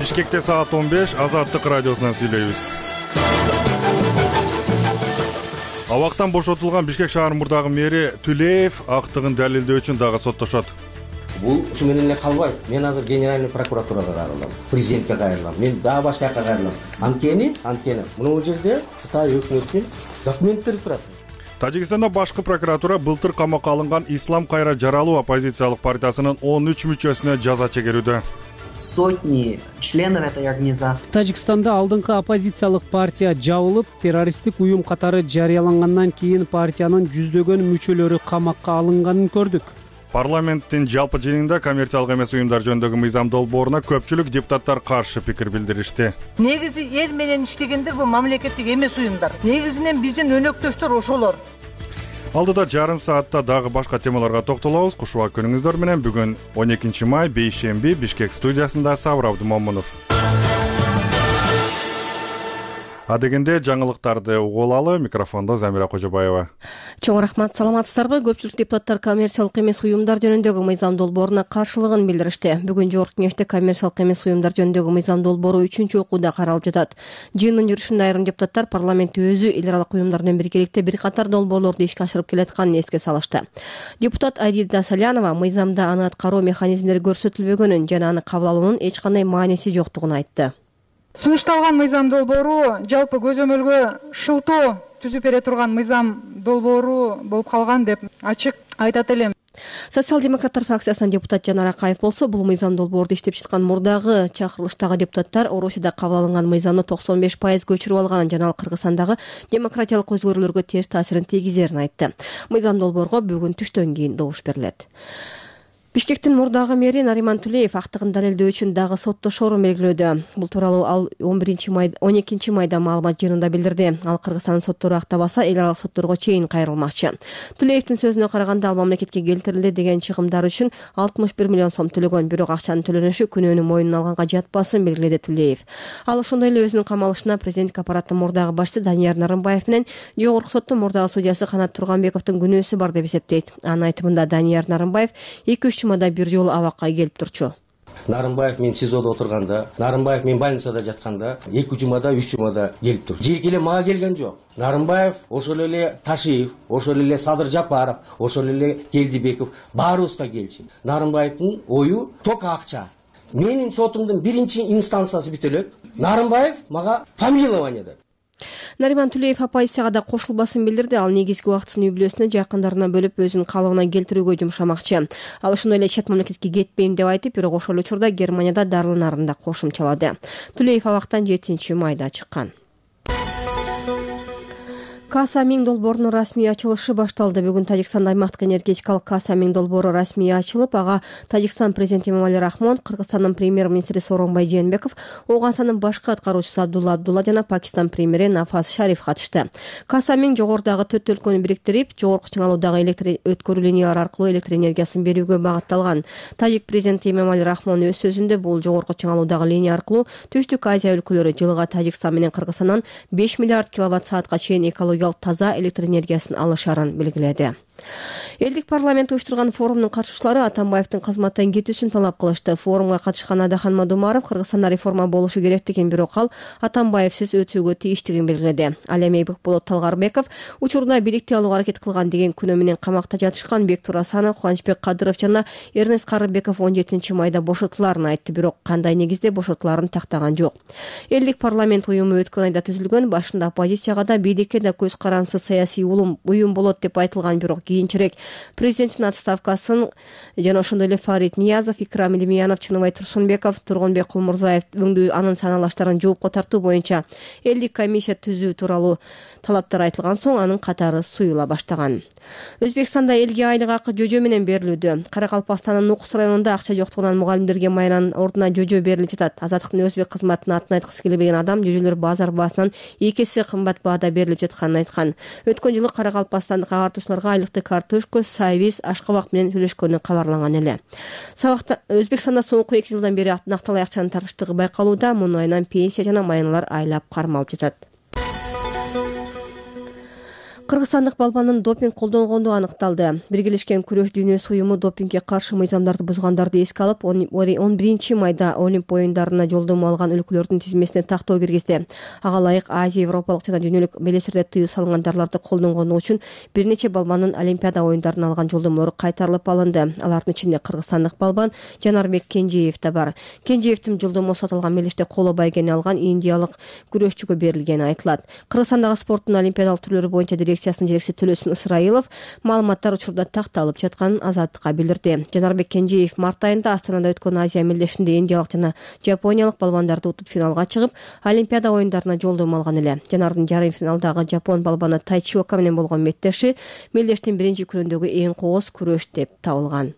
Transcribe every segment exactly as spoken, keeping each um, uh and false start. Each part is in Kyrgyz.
Бишкекте саат он беш, Азаттык радиосунан сүйлөйбүз. Абактан бошотулган Бишкек шаар мурдагы мэри Түлеев актыгын далилдөө үчүн дагы соттошот. Бул ушу менен эле калбайт. Мен азыр генеральный прокуратурага кайрылам, президентке кайрылам, мен дагы башка жака кайрылам. Анткени, анткени мына бул жерде Кытай өкмөтүнүн документтери турат. Тажикстанда башкы прокуратура былтыр камакка алынган Ислам Кайра Жаралуу оппозициялык партиясынын он үч мүчөсүнө жаза чегерүүдө. Сотни членов этой организации. Тажикстанда алдыңкы оппозициялык партия жабылып, террористтик уюм катары жарыялангандан кийин партиянын жүздөгөн мүчөлөрү камакка алынганын көрдүк. Парламенттин жалпы жыйынында коммерциялык эмес уюмдар жөнүндөгү мыйзам долбооруна көпчүлүк депутаттар каршы пикир билдиришти. Негизи эл менен иштегендер бул мамлекеттик эмес уюмдар. Негизинен биздин өнөктөштөр ошолор. Алдыда жарым саатта дагы башка темаларга токтолобуз. Кушубак күнүңүздөр менен бүгүн он экинчи май бейшемби Бишкек студиясында Сабыр Абдымомунов. Адегенде жаңылыктарды угулалы, микрофондо Замира Кожобаева. Чоң рахмат, саламатсыздарбы? Көпчүлүк депутаттар коммерциялык эмес уюмдар жөнүндөгү мыйзам долбооруна каршылыгын билдиришти. Бүгүн Жогорку Кеңеште коммерциялык эмес уюмдар жөнүндөгү мыйзам долбоору үчүнчү окууда каралып жатат. Жыйындын жүрүшүндө айрым депутаттар парламент өзү эл аралык уюмдар менен биргеликте бир катар долбоорлорду ишке ашырып келатканын эске салышты. Депутат Айдида Салянова мыйзамда аны аткаруу механизмдери көрсөтүлбөгөнүн жана аны кабыл алуунун эч кандай мааниси жоктугун айтты. Сунушталган мыйзам долбоору жалпы көзөмөлгө шылтоо түзүп бере турган мыйзам долбоору болуп калган деп ачык айтат элем. Социал-демократтар фракциясынан депутат Жанар Акаев болсо, бул мыйзам долбоорду иштеп чыккан мурдагы чакырылыштагы депутаттар Орусияда кабыл алынган мыйзамды токсон беш пайыз көчүрүп алганын жана ал Кыргызстандагы демократиялык өзгөрүүлөргө терс таасирин тийгизерин айтты. Мыйзам долбоорго бүгүн түштөн кийин добуш берилет. Бишкектин мурдагы мэри Нариман Түлеев актыгын далилдөө үчүн дагы соттошоорун белгилөөдө. Бул тууралуу ал он биринчи майда он экинчи майда маалымат жыйынында билдирди. Ал Кыргызстандын соттору актабаса, эл аралык сотторго чейин кайрылмакчы. Түлеевдин сөзүнө караганда, ал мамлекетке келтирилди деген чыгымдар үчүн алтымыш бир миллион сом төлөгөн, бирок акчанын төлөнүшү күнөөнү мойнуна алганга жатпасын белгиледи Түлеев. Ал ошондой эле өзүнүн камалышына президенттик аппараттын мурдагы башчысы Данияр Нарымбаев менен Жогорку соттун мурдагы судьясы Канат Турганбековдун күнөөсү бар деп эсептейт. Анын айтымында Данияр Нарымбаев эки үч жумада бир жолу абакка келип турчу. Нарымбаев мен СИЗОдо отурганда, Нарымбаев мен больницада жатканда эки жумада, үч жумада келип тур. Жеке эле мага келген жок. Нарымбаев, ошол эле Ташиев, ошол эле Садыр Жапаров, ошол эле Келдибеков баарыбызга келчү. Нарымбаевдин ою тока акча. Менин сотумдун биринчи инстанциясы бүтө элек. Нарымбаев мага помилование деп. Нариман Түлеев оппозицияга да кошулбасын билдирди. Ал негизги убактысын үй бүлөсүнө, жакындарына бөлүп, өзүнүн калыбына келтирүүгө жумшамакчы. Ал ошондой эле чет мамлекетке кетпейм деп айтып, бирок ошол учурда Германияда дарыланарын да кошумчалады. Түлеев абактан жетинчи майда чыккан. Каса миң долбоорунун расмий ачылышы башталды. Бүгүн Тажикстанда аймактык энергетикалык Каса миң долбоору расмий ачылып, ага Тажикстан президенти Эмомали Рахмон, Кыргызстандын премьер-министри Сооронбай Жээнбеков, Ооганстандын башкы аткаруучусу Абдулла Абдулла жана Пакистан премьери Нафаз Шариф катышты. Каса миң жогорудагы төрт өлкөнү бириктирип, жогорку чыңалуудагы электр өткөрүү линиялары аркылуу электр энергиясын берүүгө багытталган. Тажик президенти Эмомали Рахмон өз сөзүндө бул жогорку чыңалуудагы линия аркылуу Түштүк Азия өлкөлөрү жылга Тажикстан менен Кыргызстандан беш миллиард киловатт саатка чейин экология таза электр энергиясын алышарын белгиледи. Элдик парламент уюштурган форумдун катышуучулары Атамбаевдин кызматтан кетүүсүн талап кылышты. Форумга катышкан Адахан Мадумаров Кыргызстанда реформа болушу керектигин, бирок ал Атамбаевсиз өтүүгө тийиштигин белгиледи. Ал эми Бекболот Талгарбеков учурда бийликти алууга аракет кылган деген күнөө менен камакта жатышкан Бектур Асанов, Кубанычбек Кадыров жана Эрнест Карыбеков он жетинчи майда бошотуларын айтты, бирок кандай негизде бошотуларын тактаган жок. Элдик парламент уюму өткөн айда түзүлгөн, башында оппозицияга да бийликке да көз карансыз саясий уюм болот деп айтылган, бирок кийинчерээк президенттин отставкасын жана ошондой эле Фарид Ниязов, Икрам Илимянов, Чыныбай Турсунбеков, Тургунбек Кулмурзаев өңдүү анын саналаштарын жоопко тартуу боюнча элдик комиссия түзүү тууралуу талаптар айтылган соң анын катары суюла баштаган. Өзбекстанда элге айлык акы жөжө менен берилүүдө. Каракалпакстандын Нукус районунда акча жоктугунан мугалимдерге майранын ордуна жөжө берилип жатат. Азаттыктын өзбек кызматына атын айткысы келбеген адам жөжөлөр базар баасынан эки эсе кымбат баада берилип жатканын айткан. Өткөн жылы Каракалпакстандык агартуучуларга айлыкты картошка, сайвиз, ашкабак менен төлөшкөнү кабарланган эле. Сабакта Өзбекстанда соңку эки жылдан бери накталай акчанын тартыштыгы байкалууда. Мунун айынан пенсия жана майыналар айлап кармалып жатат. Кыргызстандык балбандын допинг колдонгону аныкталды. Биргелешкен күрөш дүйнөсү уюму допингге каршы мыйзамдарды бузгандарды эске алып, он биринчи майда Олимп оюндарына жолдомо алган өлкөлөрдүн тизмесине тактоо киргизди. Ага ылайык Азия, Европалык жана дүйнөлүк белестерде тыюу салынган дарларды колдонгону үчүн бир нече балбандын Олимпиада оюндарына алган жолдомолору кайтарылып алынды. Алардын ичинде кыргызстандык балбан Жанарбек Кенжеев да бар. Кенжеевдин жолдомосу аталган мелдеште коло байгени алган индиялык күрөшчүгө берилгени айтылат. Кыргызстандагы спорттун олимпиадалык түрлөрү боюнча дирекциясынын жетекчиси Төлөсүн Ысрайылов маалыматтар учурда такталып жатканын Азаттыкка билдирди. Жанарбек Кенжеев март айында Астанада өткөн Азия мелдешинде индиялык жана жапониялык балбандарды утуп финалга чыгып, Олимпиада оюндарына жолдомо алган эле. Жанардын жарым финалдагы жапон балбаны Тайчиока менен болгон мектеши мелдештин биринчи күрөндөгү эң кооз күрөш деп табылган.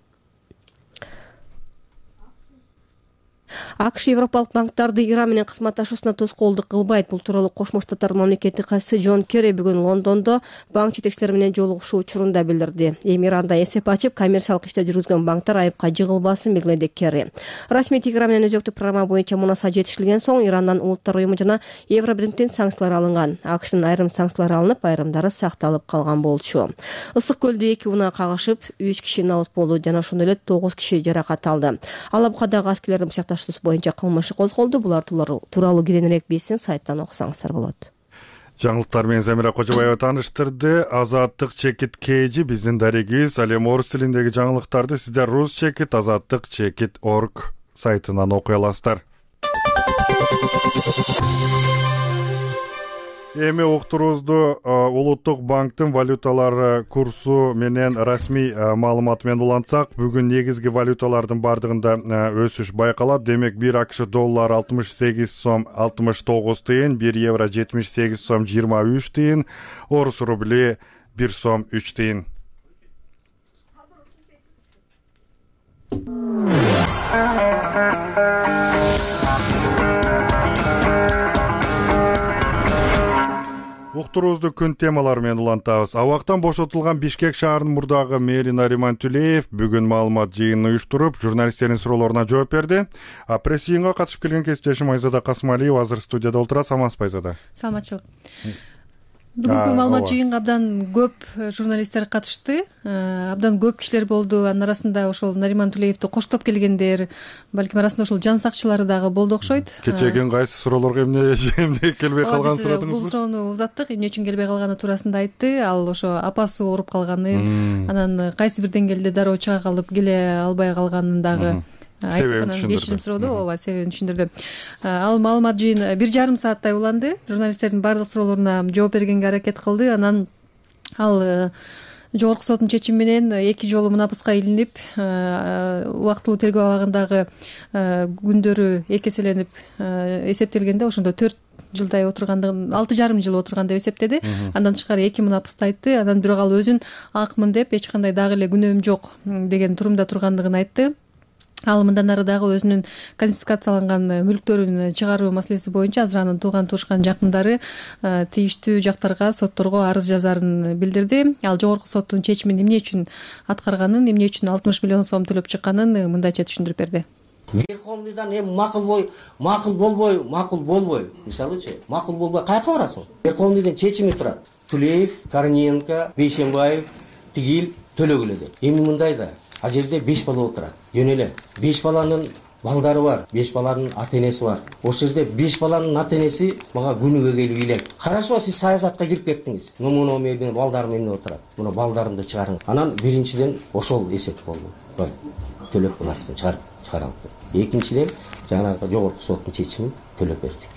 АКШ Европалык банктарды Иран менен кызматташуусуна тоскоолдук кылбайт. Бул тууралуу Кошмо Штаттардын мамлекеттик катчысы Джон Керри бүгүн Лондондо банк жетекчилери менен жолугушуу учурунда билдирди. Эми Иранда эсеп ачып, коммерциялык ишти жүргүзгөн банктар айыпка жыгылбасын белгиледи Керри. Расмий Тегеран менен өзөктүк программа боюнча мунаса жетишилген соң Ирандан Улуттар уюму жана Евробиринктен санкциялар алынган. АКШтын айрым санкциялары алынып, айрымдары сакталып калган болчу. Ысык көлдө эки унаа кагышып, үч киши набыт болду жана ошондой эле тогуз киши жаракат алды. Алабукадагы аскерлердин бычакташуусу боюнча кылмыш козголду. Булар тууралуу кененирээк биздин сайттан окусаңыздар болот. Жаңылыктар менен Замира Кожобаева тааныштырды. Азаттык чекит Кэжи биздин дарегибиз. Ал эми орус тилиндеги жаңылыктарды сиздер рус чекит азаттык чекит орг сайтынан окуй аласыздар. Эми уктуруубузду Улуттук банктын валюталар курсу менен расмий маалыматы менен улантсак, бүгүн негизги валюталардын бардыгында өсүш байкалат. Демек, бир АКШ доллар алтымыш сегиз сом алтымыш тогуз тыйын, бир евро жетимиш сегиз сом жыйырма үч тыйын, орус рубли бир сом үч тыйын. Уктуруубузду күн темалары менен улантабыз. Абактан бошотулган Бишкек шаарынын мурдагы мэри Нариман Түлеев бүгүн маалымат жыйынын уюштуруп, журналисттердин суроолоруна жооп берди. А пресс-жыйынга катышып келген кесиптешим Айзада Касымалиева азыр студияда отурат. Саламатсызбы, Айзада? Саламатчылык. Бүгүнкү маалымат жыйынга абдан көп журналисттер катышты, абдан көп кишилер болду. Анын арасында ошол Нариман Түлеевди коштоп келгендер, балким арасында ошол жан сакчылары дагы болду окшойт. Кечеги кайсы суроолорго эмне эмне келбей калганын сурадыңызбы? Бул суроону узаттык, эмне үчүн келбей калганы туурасында айтты. Ал ошо апасы ооруп калганын, анан кайсы бир деңгээлде дароо чыга калып келе албай калганын дагы кечирим сурооду, ооба, себебин түшүндүрдү. Ал маалымат жыйын бир жарым сааттай уланды. Журналисттердин баардык суроолоруна жооп бергенге аракет кылды. Анан ал жогорку соттун чечими менен эки жолу мунапыска илинип, убактылуу тергөө абагындагы күндөрү эки эселенип эсептелгенде, ошондо төрт жылдай отургандыгын, алты жарым жыл отурган деп эсептеди. Андан тышкары эки мунапысты айтты. Анан бирок ал өзүн акмын деп, эч кандай дагы эле күнөөм жок деген турумда тургандыгын айтты. Ал мындан ары дагы өзүнүн конфискацияланган мүлктөрүн чыгаруу маселеси боюнча азыр анын тууган туушкан жакындары тийиштүү жактарга, сотторго арыз жазарын билдирди. Ал жогорку соттун чечимин эмне үчүн аткарганын, эмне үчүн алтымыш миллион сом төлөп чыкканын мындайча түшүндүрүп берди. Верховныйдан эми макул бой, макул болбой, макул болбой. Мисалычы, макул болбой кайка барасың? Верховныйдан чечими турат. Тулеев, Корниенко, Бейшенбаев, Тигил төлөгүлө деп. Эми мындай да, а жерде беш бала отурат. Жөн эле беш баланын балдары бар, беш баланын ата-энеси бар. Ошол жерде беш баланын ата-энеси мага күнүгө келип илек. Карашыба, сиз саясатка кирип кеттиңиз. Муну менин балдарым эмне отурат? Муну балдарымды чыгарың. Анан биринчиден ошол эсеп болду. Кой, төлөп буларды чыгарып чыгаралып. Экинчиден жанагы жогорку соттун чечимин төлөп бердик.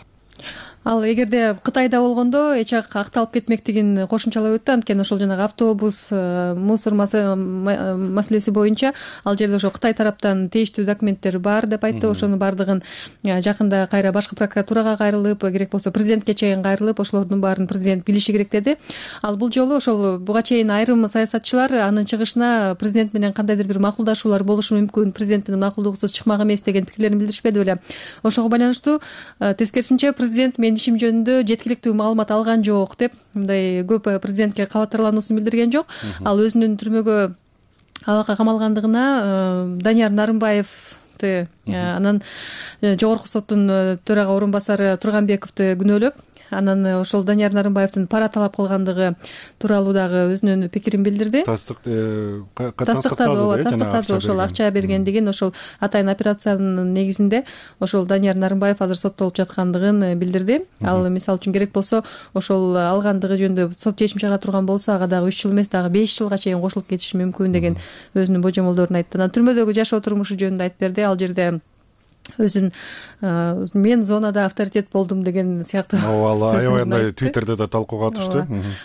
Ал эгерде Кытайда болгондо эч акталып кетмектигин кошумчалап өттү. Анткени ошол жанагы автобус мусор маселеси боюнча ал жерде ошо Кытай тараптан тийиштүү документтер бар деп айтты. Ошонун баардыгын жакында кайра башкы прокуратурага кайрылып, керек болсо президентке чейин кайрылып, ошолордун баарын президент билиши керек деди. Ал бул жолу ошол буга чейин айрым саясатчылар анын чыгышына президент менен кандайдыр бир макулдашуулар болушу мүмкүн, президенттин макулдугусуз чыкмак эмес деген пикирлерин билдиришпеди беле. Ошого байланыштуу тескерисинче президент мен ишим жөнүндө жеткиликтүү маалымат алган жок деп мындай көп президентке кабаттарлануусун билдирген жок. Ал өзүнүн түрмөгө абакка камалгандыгына Данияр Нарымбаевди, анан жогорку соттун төрага орун басары Турганбековду күнөөлөп, анан ошол Данияр Нарымбаевдин пара талап кылгандыгы тууралуу дагы өзүнүн пикирин билдирди. Тастыктады, ооба, тастыктады ошол акча бергендигин, ошол атайын операциянын негизинде ошол Данияр Нарымбаев азыр соттолуп жаткандыгын билдирди. Ал мисалы үчүн керек болсо ошол алгандыгы жөнүндө сот чечим чыгара турган болсо ага дагы үч жыл эмес, дагы беш жылга чейин кошулуп кетиши мүмкүн деген өзүнүн божомолдорун айтты. Анан түрмөдөгү жашоо турмушу жөнүндө айтып берди. Ал жерде өзүн мен зонада авторитет болдум деген сыяктуу ооба, аябай Твиттерде да талкууга түштү.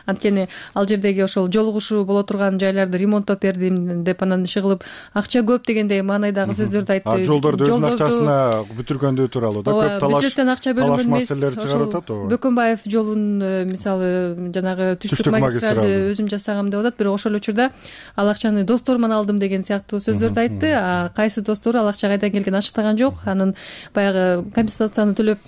Анткени ал жердеги ошол жолугушуу боло турган жайларды ремонттоп бердим деп, анан иши кылып акча көп дегендей маанайдагы сөздөрдү айтты. Жолдорду өзүнүн акчасына бүтүргөндүгү тууралуу да көп талаш, бюджеттен акча бөлүнгөн эмес. маселелер чыгарып атат. Бөкөнбаев жолун мисалы жанагы түштүк магистралды өзүм жасагам деп атат, бирок ошол учурда ал акчаны досторуман алдым деген сыяктуу сөздөрдү айтты. А кайсы достору ал акча кайдан келгенин ачыктаган жок. Анан баягы компенсацияны төлөп,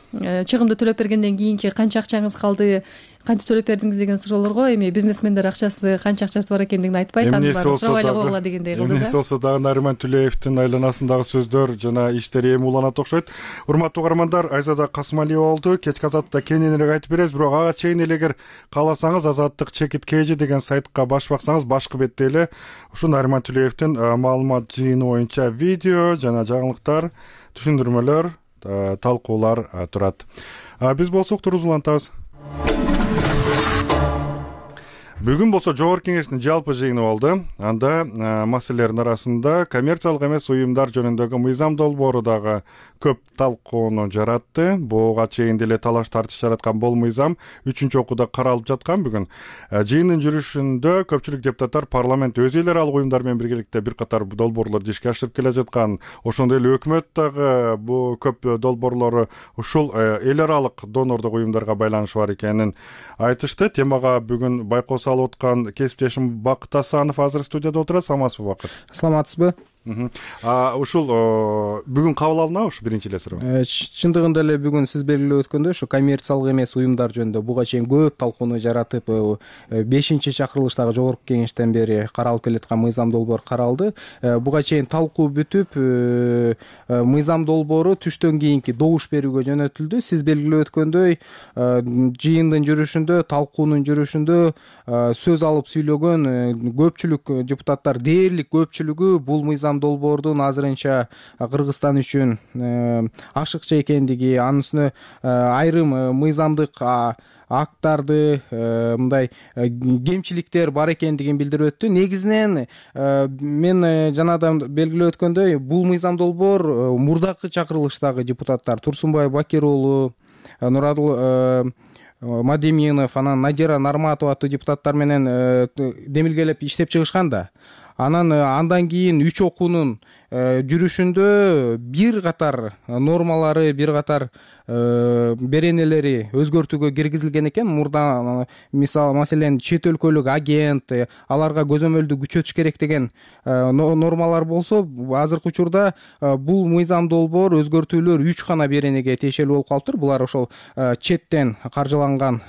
чыгымды төлөп бергенден кийинки канча акчаңыз калды, кантип төлөп бердиңиз деген суроолорго эми бизнесмендер акчасы канча акчасы бар экендигин айтпайт, аны баары сурабай эле койгула дегендей кылды да. Эмнеси болсо дагы Нариман Түлеевдин айланасындагы сөздөр жана иштери эми уланат окшойт. Урматтуу угармандар, Айзада Касымалиева болду. Кечки Азаттыкта кененирээк айтып беребиз, бирок ага чейин эле эгер кааласаңыз Азаттык чекит kg деген сайтка баш баксаңыз, башкы бетте эле ушу Нариман Түлеевдин маалымат жыйыны боюнча видео жана жаңылыктар, түшүндүрмөлөр, талкуулар турат. Биз болсок туруз улантабыз. Бүгүн болсо Жогорку Кеңештин жалпы жыйыны болду. Анда маселелердин арасында коммерциялык эмес уюмдар жөнүндөгү мыйзам долбоору дагы көп талкууну жаратты. Буга чейин деле талаш тартыш жараткан бул мыйзам үчүнчү окууда каралып жаткан. Бүгүн жыйындын жүрүшүндө көпчүлүк депутаттар парламент өз эл аралык уюмдар менен биргеликте бир катар долбоорлорду ишке ашырып келе жаткан, ошондой эле өкмөт дагы бул көп долбоорлору ушул эл аралык донордук уюмдарга байланышы бар экенин айтышты. Темага бүгүн байкоо салып аткан кесиптешим Бакыт Асанов азыр студияда отурат. Саламатсызбы, Бакыт? Саламатсызбы? Ушул бүгүн кабыл алынабы ушу биринчи эле суроо? Чындыгында эле бүгүн сиз белгилеп өткөндөй, ушу коммерциялык эмес уюмдар жөнүндө буга чейин көп талкууну жаратып, бешинчи чакырылыштагы Жогорку Кеңештен бери каралып келаткан мыйзам долбоор каралды. Буга чейин талкуу бүтүп, мыйзам долбоору түштөн кийинки добуш берүүгө жөнөтүлдү. Сиз белгилеп өткөндөй, жыйындын жүрүшүндө, талкуунун жүрүшүндө сөз алып сүйлөгөн көпчүлүк депутаттар, дээрлик көпчүлүгү бул мыйзам долбоордун азырынча Кыргызстан үчүн ашыкча экендиги, анын үстүнө айрым мыйзамдык актарды, мындай кемчиликтер бар экендигин билдирип өттү. Негизинен мен жанадан белгилеп өткөндөй, бул мыйзам долбоор мурдакы чакырылыштагы депутаттар Турсунбай Бакир уулу, Нурадыл Мадеминов, анан Надира Нарматова аттуу депутаттар менен демилгелеп иштеп чыгышкан да. Анан андан кийин үч окуунун жүрүшүндө бир катар нормалары, бир катар беренелери өзгөртүүгө киргизилген экен. Мурда мисалы маселен чет өлкөлүк агент, аларга көзөмөлдү күчөтүш керек деген нормалар болсо, азыркы учурда бул мыйзам долбоор өзгөртүүлөр үч гана беренеге тиешелүү болуп калыптыр. Булар ошол четтен каржыланган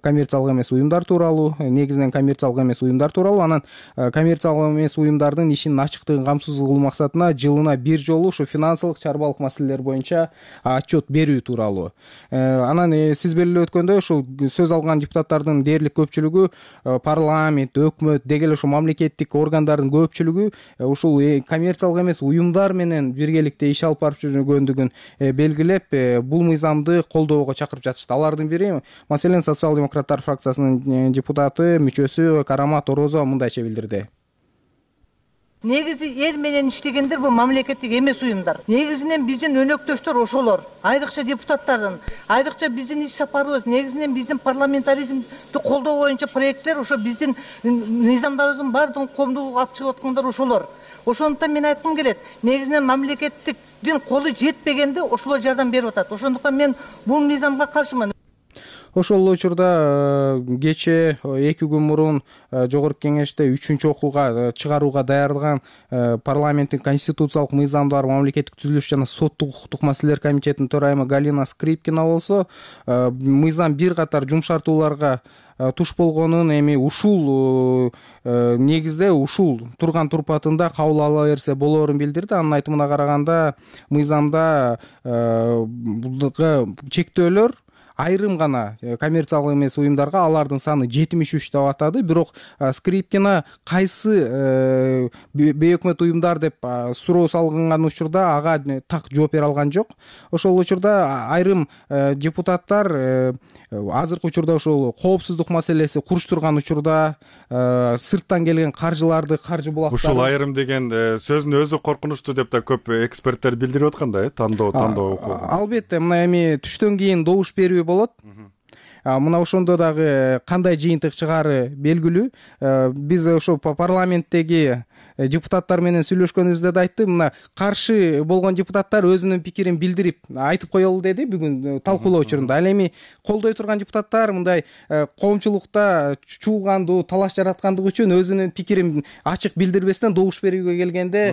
коммерциялык эмес уюмдар тууралуу, негизинен коммерциялык эмес уюмдар тууралуу, анан коммерциялык эмес уюмдардын ишинин ачыктыгын камсыз кылуу максатына жылына бир жолу ушу финансылык, чарбалык маселелер боюнча отчет берүү тууралуу. Анан сиз белгилеп өткөндөй, ушул сөз алган депутаттардын дээрлик көпчүлүгү, парламент, өкмөт, деги эле ушул мамлекеттик органдардын көпчүлүгү ушул коммерциялык эмес уюмдар менен биргеликте иш алып барып жүргөндүгүн белгилеп, бул мыйзамды колдоого чакырып жатышты. Алардын бири маселен социал-демократтар фракциясынын депутаты, мүчөсү Карамат Орозова мындайча билдирди. Негизи эл менен иштегендер бул мамлекеттик эмес уюмдар. Негизинен биздин өнөктөштөр ошолор. Айрыкча депутаттардын, айрыкча биздин иш сапарыбыз, негизинен биздин парламентаризмди колдоо боюнча проекттер ошо биздин мыйзамдарыбыздын баардыгын коомдук алып чыгып аткандар ошолор. Ошондуктан мен айткым келет, негизинен мамлекеттиктин колу жетпегенде ошолор жардам берип атат. Ошондуктан мен бул мыйзамга каршымын. Ошол учурда кечээ эки күн мурун Жогорку Кеңеште үчүнчү окууга чыгарууга даярдыган парламенттин конституциялык мыйзамдар, мамлекеттик түзүлүш жана соттук укуктук маселелер комитетинин төрайымы Галина Скрипкина болсо, мыйзам бир катар жумшартууларга туш болгонун, эми ушул негизде ушул турган турпатында кабыл ала берсе болоорун билдирди. Анын айтымына караганда, мыйзамда чектөөлөр айрым гана коммерциялык эмес уюмдарга алардын саны жетимиш үч деп атады. Бирок Скрипкина кайсы бейөкмөт уюмдар деп суроо салган учурда ага так жооп бере алган жок. Ошол учурда айрым депутаттар азыркы учурда ошол коопсуздук маселеси куруштурган учурда сырттан келген каржыларды каржы булактары ушул айрым деген сөздүн өзү коркунучтуу деп да көп эксперттер билдирип аткан да, э тандоо тандоо укугу. Албетте, мына эми түштөн кийин добуш берүү болот. Мына ошондо дагы кандай жыйынтык чыгаары белгилүү. Биз ошо парламенттеги депутаттар менен сүйлөшкөнүбүздө да айттым, мына каршы болгон депутаттар өзүнүн пикирин билдирип айтып коелу деди бүгүн талкуулоо учурунда. Ал эми колдой турган депутаттар мындай коомчулукта чуулгандуу, талаш жараткандыгы үчүн өзүнүн пикирин ачык билдирбестен добуш берүүгө келгенде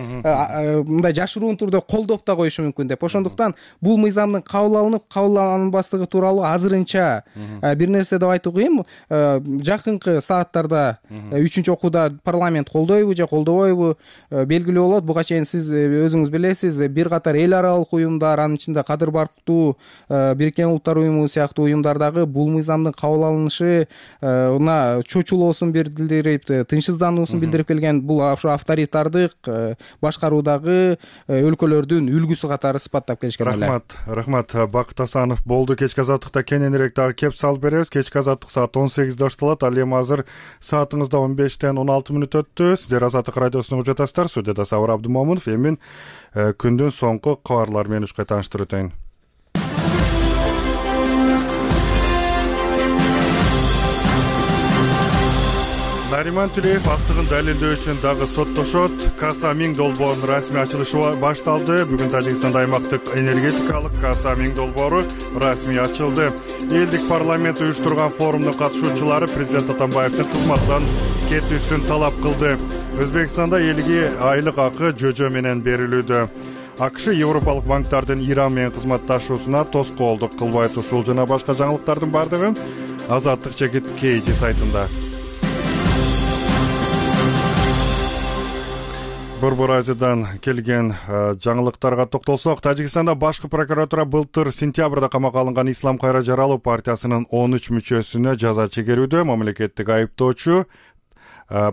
мындай жашыруун турда колдоп да коюшу мүмкүн деп. Ошондуктан бул мыйзамдын кабыл алынып, кабыл алынбастыгы тууралуу азырынча бир нерсе деп айтуу кыйын. Жакынкы сааттарда үчүнчү окууда парламент колдойбу же колдобойбу белгилүү болот. Буга чейин сиз өзүңүз билесиз, бир катар эл аралык уюмдар, анын ичинде Кадыр Барктуу, Бириккен Улуттар уюму сыяктуу уюмдар дагы бул мыйзамдын кабыл алынышы мына чочулоосун билдирип, тынчсыздануусун билдирип келген. Бул ошо авторитардык башкаруудагы өлкөлөрдүн үлгүсү катары сыпаттап келишкен. Рахмат, рахмат. Бакыт Асанов болду. Кечки азаттыкта кененирээк дагы кеп салып беребиз. Кечки азаттык саат он сегизде башталат. Ал эми азыр саатыңызда он бештен он алты мүнөт өттү. Сиздер Азаттык радиосуна угуп жатасыздар. Студияда Сабыр Абдымомунов. Эми күндүн соңку кабарлары менен ушкай тааныштырып өтөйүн. Нариман Түлеев актыгын далилдөө үчүн дагы соттошот. Каса миң долбоорунун расмий ачылышы башталды. Бүгүн Тажикстанда аймактык энергетикалык Каса миң долбоору расмий ачылды. Элдик парламент уюштурган форумдун катышуучулары президент Атамбаевдин кызматтан кетүүсүн талап кылды. Өзбекстанда элге айлык акы жөжө менен берилүүдө. АКШ Европалык банктардын Иран менен кызматташуусуна тоскоолдук кылбайт. Ушул жана башка жаңылыктардын бардыгы Азаттык чекит Кейжи сайтында. Борбор Азиядан келген жаңылыктарга токтолсок, Тажикстанда башкы прокуратура былтыр сентябрда камакка алынган Ислам Кайра Жаралуу партиясынын он үч мүчөсүнө жаза чегерүүдө. Мамлекеттик айыптоочу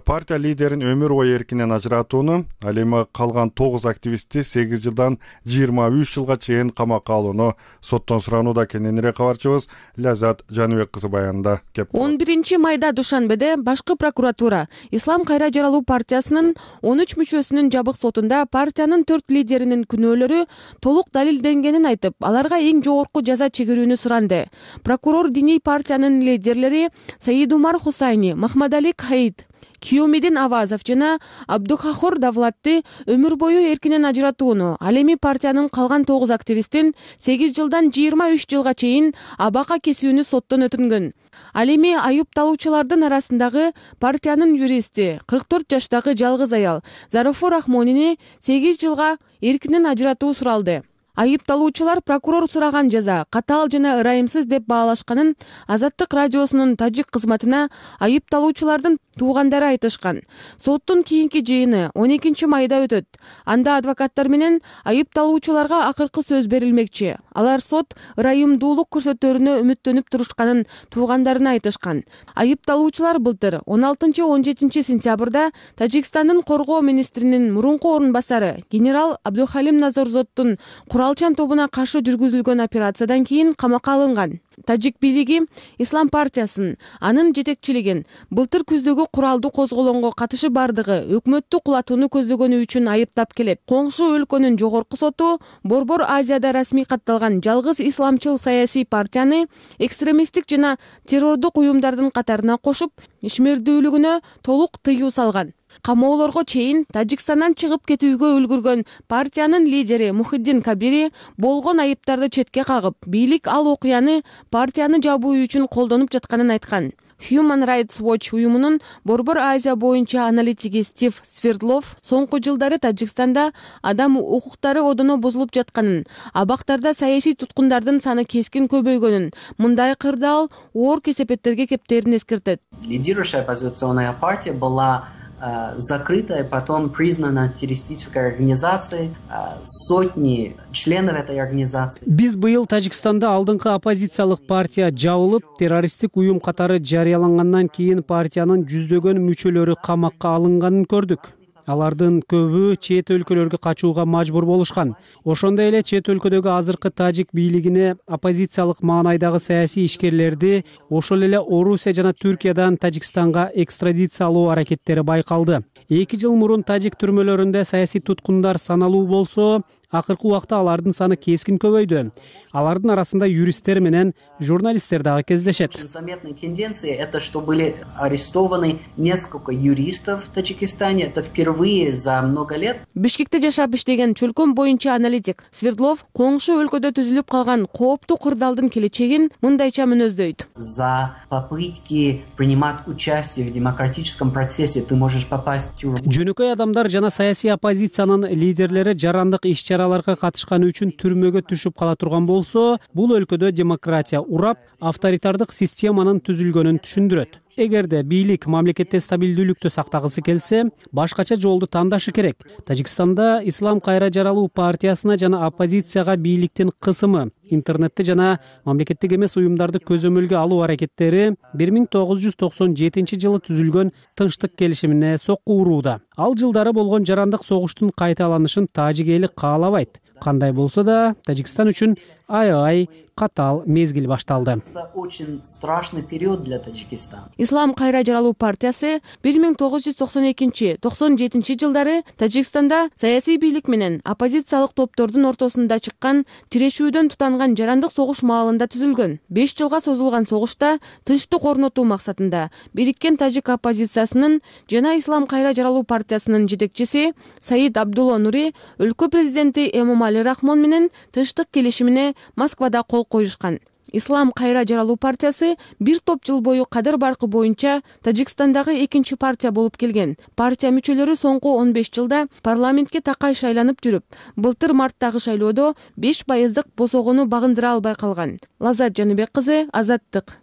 партия лидерин өмүр бою эркинен ажыратууну, ал эми калган тогуз активистти сегиз жылдан жыйырма үч жылга чейин камакка алууну соттон суранууда. Кененирээк кабарчыбыз Ляззат Жаныбек кызы баянында. он биринчи майда Душанбеде башкы прокуратура Ислам Кайра Жаралуу партиясынын он үч мүчөсүнүн жабык сотунда партиянын төрт лидеринин күнөөлөрү толук далилденгенин айтып, аларга эң жогорку жаза чегерүүнү суранды. Прокурор диний партиянын лидерлери Саидумар Хусайни, Махмадали Каид, Киомидин Авазов жана Абдухахор Давлатты өмүр бою эркинен ажыратууну, ал эми партиянын калган тогуз активистин сегиз жылдан жыйырма үч жылга чейин абакка кесүүнү соттон өтүнгөн. Ал эми айыпталуучулардын арасындагы партиянын юристи кырк төрт жаштагы жалгыз аял Заруфу Рахмонини сегиз жылга эркинен ажыратуу суралды. Айыпталуучулар прокурор сураган жаза катаал жана ырайымсыз деп баалашканын Азаттык радиосунун тажик кызматына айыпталуучулардын туугандары айтышкан. Соттун кийинки жыйыны он экинчи майда өтөт. Анда адвокаттар менен айыпталуучуларга акыркы сөз берилмекчи. Алар сот ырайымдуулук көрсөтөрүнө үмүттөнүп турушканын туугандарына айтышкан. Айыпталуучулар былтыр он алтынчы он жетинчи сентябрда Тажикстандын коргоо министринин мурунку орун басары генерал Абдухалим Назарзоттун куралчан тобуна каршы жүргүзүлгөн операциядан кийин камакка алынган. Тажик бийлиги Ислам партиясын, анын жетекчилигин былтыр күздөгү куралдуу козголоңго катышы бардыгы өкмөттү кулатууну көздөгөнү үчүн айыптап келет. Коңшу өлкөнүн жогорку соту Борбор Азияда расмий катталган жалгыз исламчыл саясий партияны экстремисттик жана террордук уюмдардын катарына кошуп, ишмердүүлүгүнө толук тыюу салган. Камоолорго чейин Тажикстандан чыгып кетүүгө үлгүргөн партиянын лидери Мухиддин Кабири болгон айыптарды четке кагып, бийлик ал окуяны партияны жабуу үчүн колдонуп жатканын айткан. Human Rights Watch уюмунун Борбор Азия боюнча аналитиги Стив Свердлов соңку жылдары Тажикстанда адам укуктары одоно бузулуп жатканын, абактарда саясий туткундардын саны кескин көбөйгөнүн, мындай кырдаал оор кесепеттерге кептерин эскертет. Лидирующая оппозиционная партия была закрыта и потом признана террористической организацией. Сотни членов этой организации. Биз быйыл Тажикстанда алдыңкы оппозициялык партия жабылып, террористтик уюм катары жарыялангандан кийин партиянын жүздөгөн мүчөлөрү камакка алынганын көрдүк. Алардын көбү чет өлкөлөргө качууга мажбур болушкан. Ошондой эле чет өлкөдөгү азыркы тажик бийлигине оппозициялык маанайдагы саясий ишкерлерди ошол эле Орусия жана Түркиядан Тажикстанга экстрадициялоо аракеттери байкалды. Эки жыл мурун тажик түрмөлөрүндө саясий туткундар саналуу болсо, акыркы убакта алардын саны кескин көбөйдү. Алардын арасында юристтер менен журналисттер дагы кездешет. Заметной тенденцией это, что были арестованы несколько юристов в Таджикистане. Это впервые за много лет. Бишкекте жашап иштеген чөлкөм боюнча аналитик Свердлов коңшу өлкөдө түзүлүп калган кооптуу кырдаалдын келечегин мындайча мүнөздөйт. За попытки принимать участие в демократическом процессе ты можешь попасть в тюрьму. Жөнөкөй адамдар жана саясий оппозициянын лидерлери жарандык иш-чараларга катышканы үчүн түрмөгө түшүп кала турган болсо, бул өлкөдө демократия урап, авторитардык системанын түзүлгөнүн түшүндүрөт. Эгерде бийлик мамлекетте стабилдүүлүктү сактагысы келсе, башкача жолду тандашы керек. Тажикстанда Ислам кайра жаралуу партиясына жана оппозицияга бийликтин кысымы, интернетти жана мамлекеттик эмес уюмдарды көзөмөлгө алуу аракеттери бир миң тогуз жүз токсон жетинчи жылы түзүлгөн тынчтык келишимине сокку урууда. Ал жылдары болгон жарандык согуштун кайталанышын тажик эли каалабайт. Кандай болсо да, Тажикстан үчүн аябай катаал мезгил башталды. Очень страшный период для Таджикистана. Ислам кайра жаралуу партиясы бир миң тогуз жүз токсон экинчи — токсон жетинчи жылдары Тажикстанда саясий бийлик менен оппозициялык топтордун ортосунда чыккан тирешүүдөн тутанган жарандык согуш маалында түзүлгөн. беш жылга созулган согушта тынчтык орнотуу максатында бириккен тажик оппозициясынын жана Ислам кайра жаралуу партиясынын жетекчиси Саид Абдулла Нури өлкө президенти Эмомали Рахмон менен тынчтык келишимине Москвада кол коюшкан. Ислам кайра жаралуу партиясы бир топ жыл бою кадыр баркы боюнча Тажикстандагы экинчи партия болуп келген. Партия мүчөлөрү соңку он беш жылда парламентке такай шайланып жүрүп, былтыр марттагы шайлоодо беш пайыздык босогону багындыра албай калган. Лазат Жаныбек кызы, Азаттык.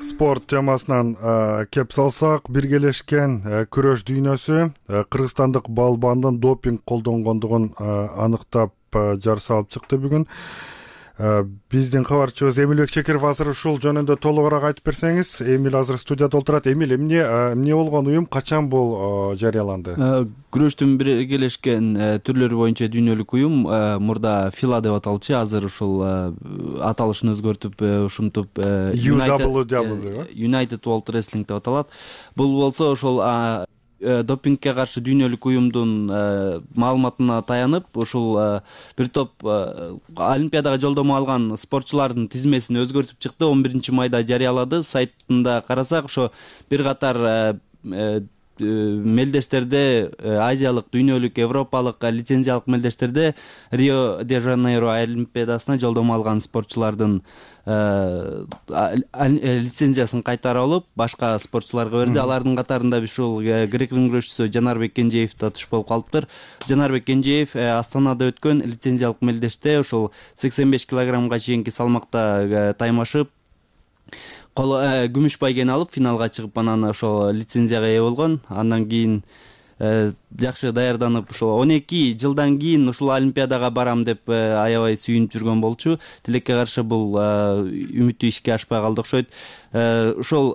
Спорт темасынан кеп салсак, биргелешкен күрөш дүйнөсү кыргызстандык балбандын допинг колдонгондугун аныктап жар салып чыкты бүгүн. Биздин кабарчыбыз Эмилбек Чекиров азыр ушул жөнүндө толугураак айтып берсеңиз. Эмил азыр студияда отурат. Эмил, эмне эмне болгон уюм, качан бул жарыяланды? Күрөштүн биргелешкен түрлөрү боюнча дүйнөлүк уюм мурда фила деп аталчу, азыр ушул аталышын өзгөртүп, ушинтип United World Wrestling деп аталат. Бул болсо ошол допингке каршы дүйнөлүк уюмдун маалыматына таянып, ушул бир топ Олимпиадага жолдомо алган спортчулардын тизмесин өзгөртүп чыкты. он биринчи майда жарыялады. Сайтында карасак, ошо бир катар мелдештерде, азиялык, дүйнөлүк, европалык лицензиялык мелдештерде Рио де Жанейро Олимпиадасына жолдомо алган спортчулардын лицензиясын кайтарып алып, башка спортчуларга берди. Алардын катарында ушул грек-рим күрөшчүсү Жанарбек Кенжеев да туш болуп калыптыр. Жанарбек Кенжеев Астанада өткөн лицензиялык мелдеште ушул сексен беш килограммга чейинки салмакта таймашып, күмүш байгени алып, финалга чыгып, анан ошол лицензияга ээ болгон. Андан кийин жакшы даярданып, ошол он эки жылдан кийин ушул Олимпиадага барам деп аябай сүйүнүп жүргөн болчу. Тилекке каршы бул үмүтү ишке ашпай калды окшойт. Ошол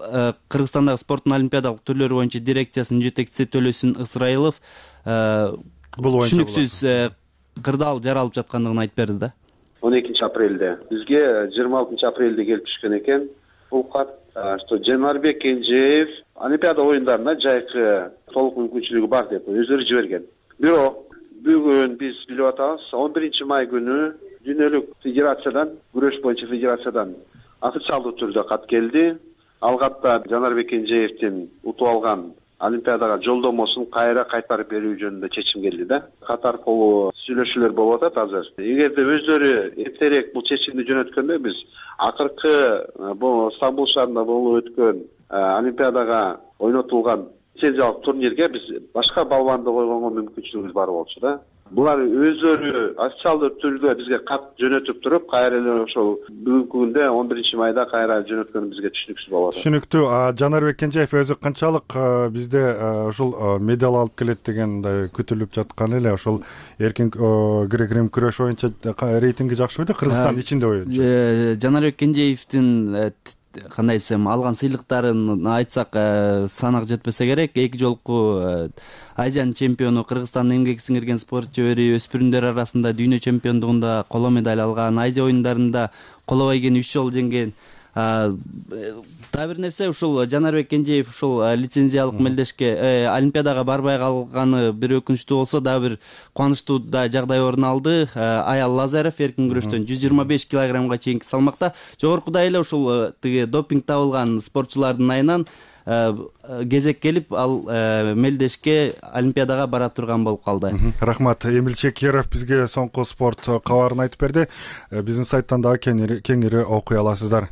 Кыргызстандагы спорттун олимпиадалык түрлөрү боюнча дирекциясынын жетекчиси Төлөсүн Ысырайылов түшүнүксүз кырдаал жаралып жаткандыгын айтып берди да. он экинчи апрелде бизге жыйырма алтынчы апрелде келип түшкөн экен бул кат, что Жанарбек Кенжеев Олимпиада оюндарына жайкы толук мүмкүнчүлүгү бар деп өздөрү жиберген. Бирок бүгүн биз билип атабыз, он биринчи май күнү дүйнөлүк федерациядан, күрөш боюнча федерациядан официалдуу түрдө кат келди. Ал катта Жанарбек Кенжеевдин утуп алган Олимпиадага жолдомосун кайра кайтарып берүү жөнүндө чечим келди да. Катаркулуу сүйлөшүүлөр болуп атат азыр. Эгерде өздөрү эртерээк бул чечимди жөнөткөндө биз акыркы бул Стамбул шаарында болуп өткөн Олимпиадага ойнотулган лицензиялык турнирге биз башка балбанды койгонго мүмкүнчүлүгүбүз бар болчу да. булар өздөрү официалдуу түрдө бизге кат жөнөтүп туруп, кайра эле ошол бүгүнкү күндө он биринчи майда кайра жөнөткөнү бизге түшүнүксүз болуп атат. Түшүнүктүү. Жанарбек Кенжеев өзү канчалык бизде ушул медаль алып келет деген күтүлүп жаткан эле, ошол эркин грек-рим күрөш боюнча рейтинги жакшы бойдо, Кыргызстан ичинде боюнча. Жанарбек Кенжеевдин кандай десем алган сыйлыктарын айтсак санак жетпесе керек. Эки жолку Азиянын чемпиону, Кыргызстандын эмгек сиңирген спортчу ери, өспүрүмдөр арасында дүйнө чемпиондугунда коло медаль алган, Азия оюндарында коло байгени үч жолу жеңген. Дагы бир нерсе, ушул Жанарбек Кенжеев ушул лицензиялык мелдешке Олимпиадага барбай калганы бир өкүнүчтүү болсо, дагы бир кубанычтуу да жагдай орун алды. Аял Лазарев эркин күрөштөн жүз жыйырма беш килограммга чейинки салмакта жогоркудай эле ушул тиги допинг табылган спортчулардын айынан кезек келип, ал мелдешке Олимпиадага бара турган болуп калды. Рахмат. Эмил Чекеров бизге соңку спорт кабарын айтып берди. Биздин сайттан дагы кеңири окуй аласыздар.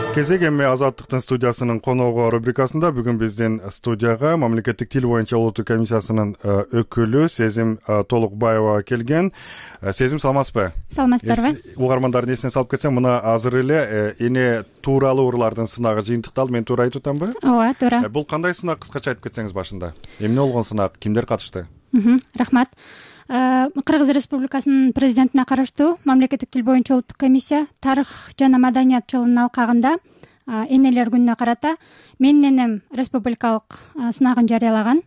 Кезек эми Азаттыктын студиясынын коногу рубрикасында бүгүн биздин студияга мамлекеттик тил боюнча улуттук комиссиясынын өкүлү Сезим Толукбаева келген. Сезим, саламатсызбы? Саламатсыздарбы? Угармандардын эсине салып кетсем, мына азыр эле эне тууралуу урлардын сынагы жыйынтыкталды. Мен туура айтып атамбы? Ооба, туура. Бул кандай сынак, кыскача айтып кетсеңиз башында? Эмне болгон сынак, кимдер катышты? Рахмат. Кыргыз Республикасынын президентине караштуу мамлекеттик тил боюнча улуттук комиссия тарых жана маданият жылынын алкагында энелер күнүнө карата менин энем республикалык сынагын жарыялаган.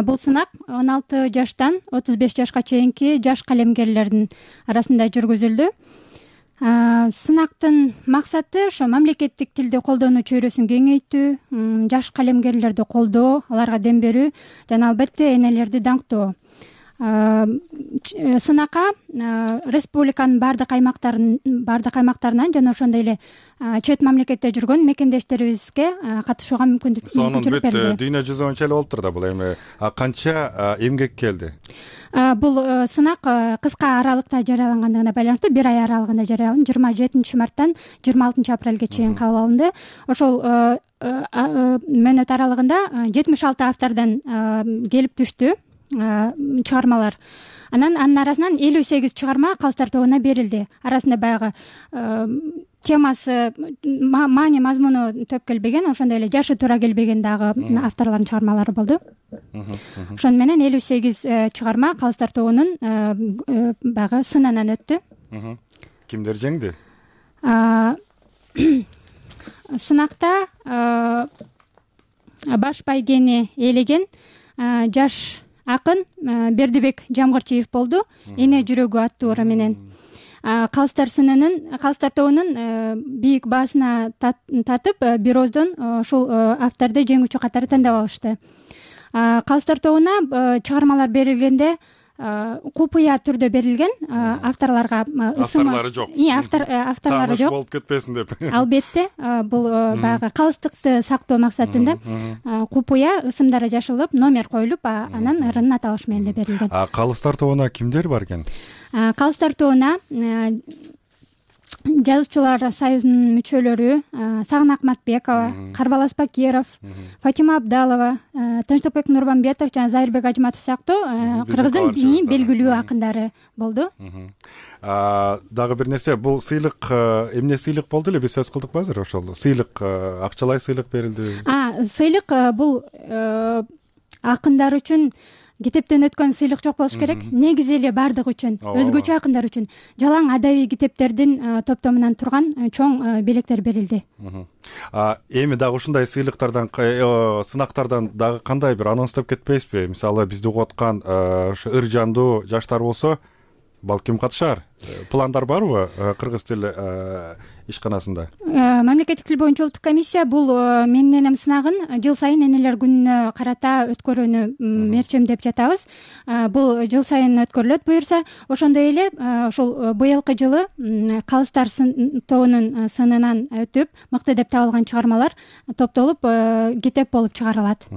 Бул сынак он алты жаштан отуз беш жашка чейинки жаш калемгерлердин арасында жүргүзүлдү. Сынактын максаты ошо мамлекеттик тилди колдонуу чөйрөсүн кеңейтүү, жаш калемгерлерди колдоо, аларга дем берүү жана албетте энелерди даңктоо. Сынакка республиканын баардык аймактарын баардык аймактарынан жана ошондой эле чет мамлекетте жүргөн мекендештерибизге катышууга мүмкүндүк берди. Сонун бүт дүйнө жүзү боюнча эле болуптур да бул. Эми канча эмгек келди? Бул сынак кыска аралыкта жарыялангандыгына байланыштуу бир ай аралыгында жарыяланды. жыйырма жетинчи марттан жыйырма алтынчы апрелге чейин кабыл алынды. Ошол мөөнөт аралыгында жетимиш алты автордон келип түштү чыгармалар. Анан анын арасынан элүү сегиз чыгарма калыстар тобуна берилди. Арасында баягы темасы, маани мазмуну төп келбеген, ошондой эле жашы туура келбеген дагы авторлордун чыгармалары болду. Ошону менен элүү сегиз чыгарма калыстар тобунун баягы сынынан өттү. Кимдер жеңди? Сынакта баш байгени ээлеген жаш акын Бердибек Жамгырчиев болду. Эне жүрөгү аттуу ыры менен калыстар сынынын калыстар тобунун бийик баасына татып бир ооздон ушул авторду жеңүүчү катары тандап алышты. Калыстар тобуна чыгармалар берилгенде купуя түрдө берилген, авторлорго авторлору жок. Авторлору жок болуп кетпесин деп. Албетте, бул баягы калыстыкты сактоо максатында купуя ысымдары жашылып, номер коюлуп, анан ырынын аталышы менен эле берилген. Калыстар тобуна кимдер бар экен? Калыстар тобуна жазуучулар союзунун мүчөлөрү Сагын Акматбекова, Карбалас Бакиров, Фатима Абдалова, Тынчтыкбек Нурмамбетов жана Зайырбек Ажматов сыяктуу Кыргыздын белгилүү акындары болду. Дагы бир нерсе, бул сыйлык эмне сыйлык болду эле, биз сөз кылдыкпы азыр? Ошол сыйлык, акчалай сыйлык берилди. Сыйлык бул акындар үчүн китептен өткөн сыйлык жок болуш керек. Негизи эле бардык үчүн, өзгөчө акындар үчүн жалаң адабий китептердин топтомунан турган чоң белектер берилди. Эми дагы ушундай сыйлыктардан, сынактардан дагы кандай бир анонстоп кетпейсизби? Мисалы, бизди угуп аткан ошо ыр жандуу жаштар болсо, балким катышар. Пландар барбы кыргыз тили ишканасында? Мамлекеттик тил боюнча улуттук комиссия бул менин энем сынагын жыл сайын энелер күнүнө карата өткөрүүнү мерчемдеп жатабыз. Бул жыл сайын өткөрүлөт буюрса. Ошондой эле ушул быйылкы жылы калыстар тобунун сынынан өтүп, мыкты деп табылган чыгармалар топтолуп китеп болуп чыгарылат.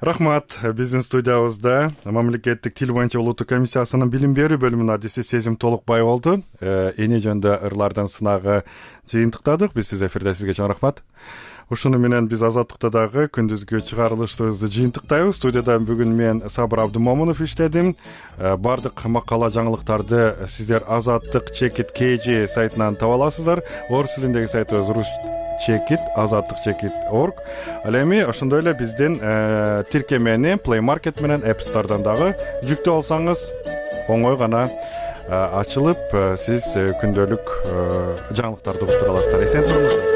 Рахмат. Биздин студиябызда мамлекеттик тил боюнча улуттук комиссиясынын билим берүү бөлүмүнүн адиси Сезим Толукбаев болду. Эне жөнүндө ырлардын сынагы жыйынтыктадык. Биз сиз эфирде, сизге чоң рахмат. Ушуну менен биз Азаттыкта дагы күндүзгү чыгарылышыбызды жыйынтыктайбыз. Студияда бүгүн мен Сабыр Абдымомунов иштедим. Бардык макала жаңылыктарды сиздер Азаттык чекит kg сайтынан таба аласыздар. Орус тилиндеги сайтыбыз рус чекит азаттык чекит орг. Ал эми ошондой эле биздин тиркемени Play Market менен App Store'дан дагы жүктөп алсаңыз оңой гана ачылып, сиз күндөлүк жаңылыктарды угуп тура аласыздар. Эсен туруңуздар.